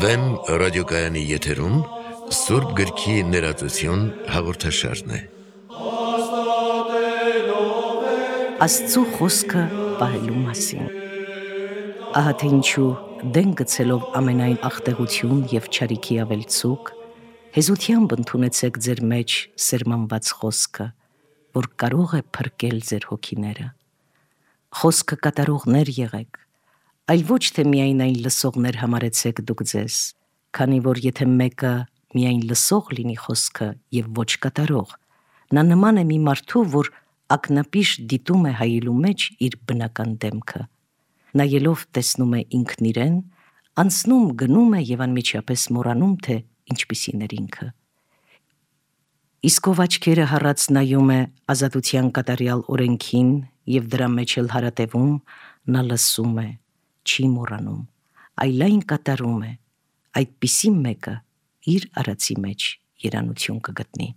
Վեմ ռադիոկայանի եթերում Սուրբ գրքի ներածություն հաղորդաշարն է։ Աստծու խոսքը պահելու մասին։ Ահա թե ինչու դեն գցելով ամենայն աղտեղություն և չարիքի ավելցուկ, հեզությամբ ընդունեցեք ձեր մեջ սերմանված խոսքը, որ կարող է փրկել ձեր հոգիները։ Խոսքը կատարողներ եղեք, այլ ոչ թե միայն այն լսողներ համարեցեք դուք ձեզ, քանի որ եթե մեկը միայն լսող լինի խոսքը և ոչ կատարող, նա նման է մի մարդու, որ ակնապիշ դիտում է հայելու մեջ իր բնական դեմքը, նայելով տեսնում է ինքն իրեն, անցնում գնում է և անմիջապես մոռանում, թե ինչպիսին էր ինքը։ Իսկ ով աչքերը հառած նայում է ազատության կատարյալ օրենքին և դրա մեջ էլ հարատևում, նա լսում է, չի մոռանում, այլ այն կատարում է, այդպիսի մեկը իր արածի մեջ երանություն կգտնի։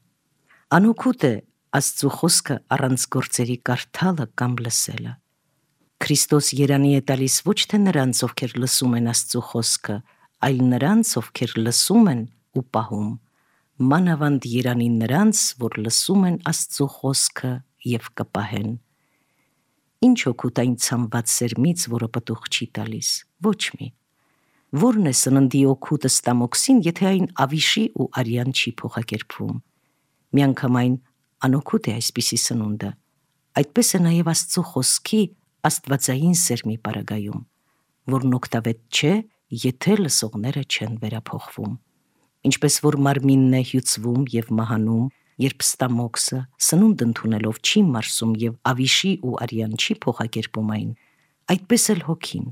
Անօգուտ է Աստծու խոսքը առանց գործերի կարդալը կամ լսելը։ Քրիստոս երանի է տալիս ոչ թե նրանց, ովքեր լսում են Աստծու խոսքը, այլ նրանց, ովքեր լսում են ու պահում, մանավանդ երանի նրանց, որ լսում են Աստծու խոսքը և կպահեն։ Ինչ օգուտ այն ցամված սերմից, որը պտուղ չի տալիս, ոչ մի։ Որն է սննդի օգուտը ստամոքսին, եթե այն ավիշի ու արյան չի փոխակերպվում։ Միանգամայն անօգուտ է այսպիսի սնունդը, այդպես է նաև Աստծու խոսքի աստվածային սերմի պարագայում, որն օգտավետ չէ, եթե լսողները չեն վերափոխվում։ Ինչպես որ մարմինն է հյուծվում և մահանում, երբ ստամոքսը սնունդ ընդունելով չի մարսում և ավիշի ու արյան չի փոխակերպում այն, այդպես էլ հոգին,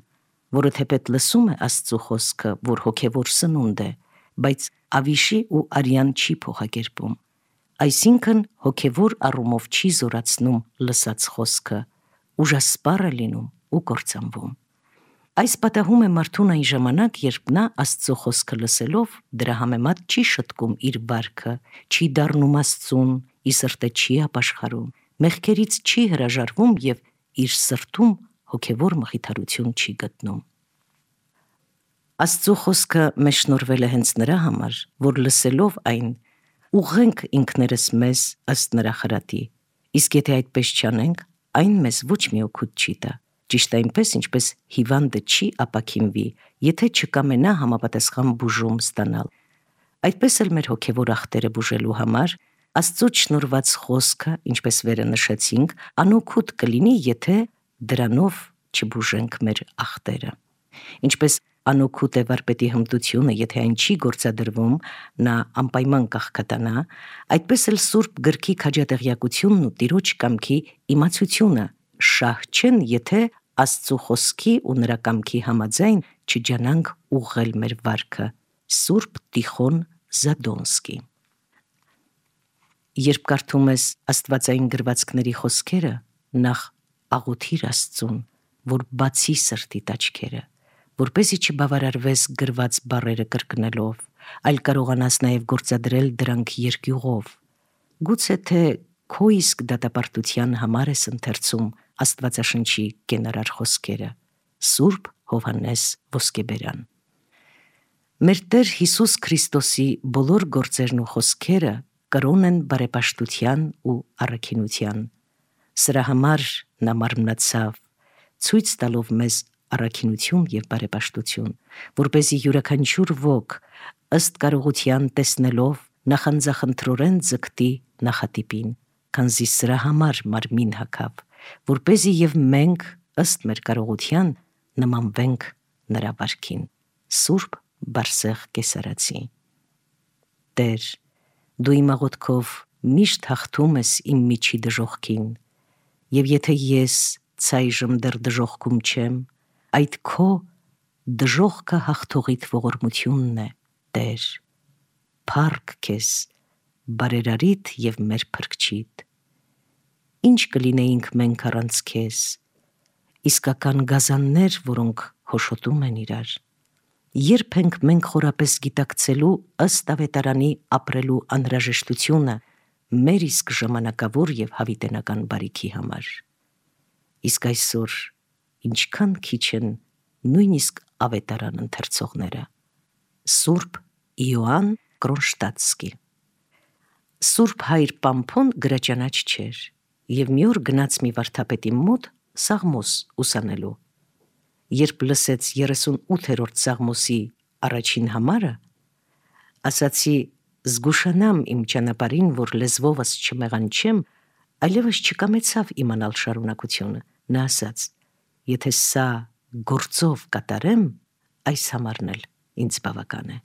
որը թեպետ լսում է Աստծու խոսքը, որ հոգևոր սնունդ է, բայց ավիշի ու արյան չի փոխակերպում, այսինքն հոգևոր առումով չի զորացնում լսած խոսքը, ուժասպառ է լինում ու կործանվում։ Այս պատահում է մարդուն այն ժամանակ, երբ նա Աստծու խոսքը լսելով դրա համեմատ չի շտկում իր վարքը, չի դառնում Աստծուն, ի սրտե չի ապաշխարում, մեղքերից չի հրաժարվում և իր սրտում հոգևոր մխիթարություն չի գտնում։ Աստծու խոսքը մեզ շնորհվել է հենց նրա համար, որ լսելով այն ուղղենք ինքներս մեզ ըստ նրա խրատի, իսկ եթե այդպես չանենք, այն մեզ ոչ մի օգուտ չի տա, ճիշտ այնպես, ինչպես հիվանդը չի ապաքինվի, եթե չկամենա համապատասխան բուժում ստանալ։ Այդպես էլ մեր հոգևոր ախտերը բուժելու համար Աստծուց շնորհված խոսքը, ինչպես վերը նշեցինք, անօգուտ կլինի, եթե դրանով չբուժենք մեր ախտերը։ Ինչպես անօգուտ է վարպետի հմտությունը, եթե այն չի գործադրվում, նա անպայման կաղքատանա, այդպես էլ Սուրբ գրքի քաջատեղյակությունն ու Տիրոջ կամքի իմացությունը շահ չեն, եթե Աստծու խոսքի ու նրա կամքի համաձայն չջանանք ուղղել մեր վարքը։ Սուրբ Տիխոն Զադոնսկի։ Երբ կարդում ես աստվածային գրվածքների խոսքերը, նախ աղոթիր Աստծուն, որ բացի սրտիդ աչքերը, որպեսզի չբավարարվես գրված բառերը կրկնելով, այլ կարողանաս նաև գործադրել դրանք երկյուղով։ Գուցե թե քո իսկ դատապարտության համար ես ընթերցում Աստվածաշնչի կենարար խոսքերը։ Սուրբ Հովհաննես Ոսկեբերան։ Մեր Տեր Հիսուս Քրիստոսի բոլոր գործերն ու խոսքերը կրոն են բարեպաշտության ու առաքինության։ Սրա համար նա մարմնացավ, ցույց տալով մեզ առաքինություն և բարեպաշտություն, որպեսզի յուրաքանչյուր ոք ըստ կարողության տեսնելով նախանձախնդրորեն ձգտի նախատիպին, քանզի սրա համար մարմին հագավ, որպեսզի և մենք ըստ մեր կարողության նմանվենք նրա վարքին։ Սուրբ Բարսեղ Կեսարացի։ Տեր, դու իմ աղոթքով միշտ հաղթում ես իմ միջի դժոխքին, և եթե ես ցայժմ դեռ դժոխքում չեմ, այդ քո դժոխքը հաղթողիդ ողորմությունն է, Տեր, փառք քեզ, բարերարիդ և մեր փրկչիդ։ Ինչ կլինեինք մենք առանց քեզ, իսկական գազաններ, որոնք հոշոտում են իրար։ Երբ ենք մենք խորապես գիտակցելու ըստ ավետարանի ապրելու անհրաժեշտությունը մեր իսկ ժամանակավոր և հավիտենական բարիքի համար։ Իսկ այսօր ինչքան քիչ են նույնիսկ ավետարան ընթերցողները։ Սուրբ Իոանն Կրոնշտադտսկի։ Սուրբ հայր Պամփոն գրաճանաչ չէր և մի օր գնաց մի վարդապետի մոտ Սաղմոս ուսանելու։ Երբ լսեց 38-րդ Սաղմոսի առաջին համարը, ասացի. «Զգուշանամ իմ ճանապարհին, որ լեզվովս չմեղանչեմ», այլևս չկամեցավ իմանալ շարունակությունը։ Նա ասաց. «Եթե սա գործով կատարեմ, այս համարն էլ ինձ բավական է»։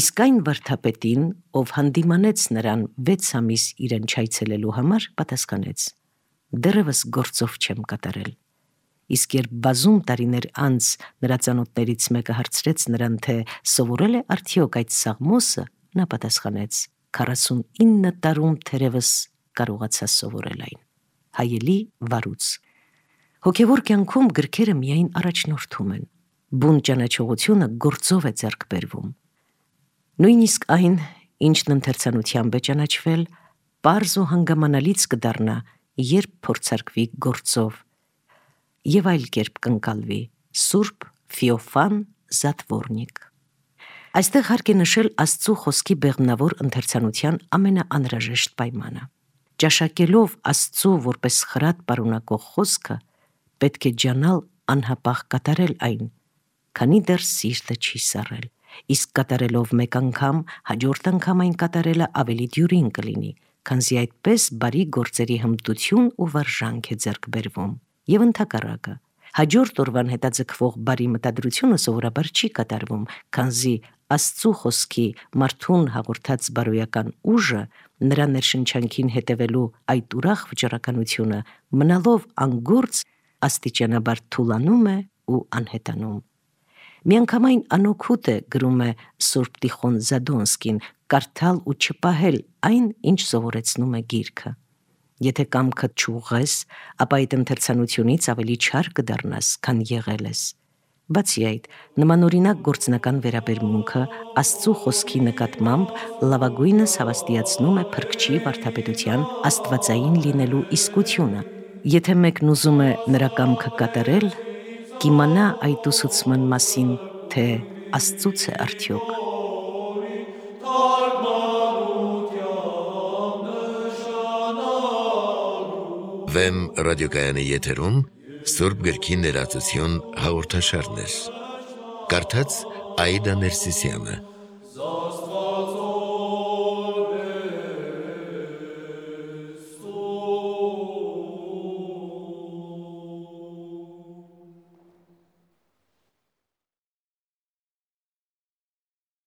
Իսկ այն վարդապետին, ով հանդիմանեց նրան 6 ամիս իրեն չայցելելու համար, պատասխանեց. «Դեռևս գործով չեմ կատարել»։ Իսկ երբ բազում տարիներ անց նրա ծանոթներից մեկը հարցրեց նրան, թե սովորել է արդյոք այդ Սաղմոսը, նա պատասխանեց. 49 տարում թերևս կարողացա սովորել այն։ Հայելի վարուց։ Հոգևոր կյանքում գրքերը միայն առաջնորդում են, բուն ճանաչողությունը գործով է ձեռք բերվում։ Նույնիսկ այն, ինչն ընթերցանությամբ է ճանաչվել, պարզ ու հանգամանալից կդառնա, երբ փորձարկվի գործով և այլ կերպ կընկալվի։ Սուրբ Ֆեոֆան Զատվորնիկ։ Այստեղ հարկ է նշել Աստծու խոսքի բեղմնավոր ընթերցանության ամենաանհրաժեշտ պայմանը։ Ճաշակելով Աստծու որպես խրատ պարունակող խոսքը, պետք է ջանալ անհապաղ կատարել այն, քանի դեռ սիրտը չի սառել, իսկ կատարելով մեկ անգամ, հաջորդ անգամ այն կատարելը ավելի դյուրին կլինի, քանզի այդպես բարի գործերի հմտություն ու վարժանք է ձեռք բերվում։ Եվ ընդհակառակը, հաջորդ օրվան հետաձգվող բարի մտադրությունը սովորաբար չի կատարվում, քանզի Աստծու խոսքի մարդուն հաղորդած բարոյական ուժը, նրա ներշնչանքին հետևելու այդ ուրախ վճռականությունը, մնալով անգործ, աստիճանաբար թուլանում է ու անհետանում։ Միանգամայն անօգուտ է, գրում է Սուրբ Տիխոն Զադոնսկին, կարդալ ու չպահել այն, ինչ սովորեցնում է գիրքը։ Եթե կամքդ չուղղես, ապա այդ ընթերցանությունից ավելի չար կդառնաս, քան եղել ես։ Բացի այդ, նմանօրինակ գործնական վերաբերմունքը Աստծու խոսքի նկատմամբ լավագույնս հավաստիացնում է փրկչի վարդապետության աստվածային լինելու իսկությունը։ Եթե մեկն ուզում է նրա կամքը կատարել, կիմանա այդ ուսուցման մասին, թե Աստծուց է արդյոք։ Վեմ ռադիոկայանի եթերում Սուրբ գրքի ներածություն հաղորդաշարներ։ Կարդաց Աիդա Ներսիսյանը։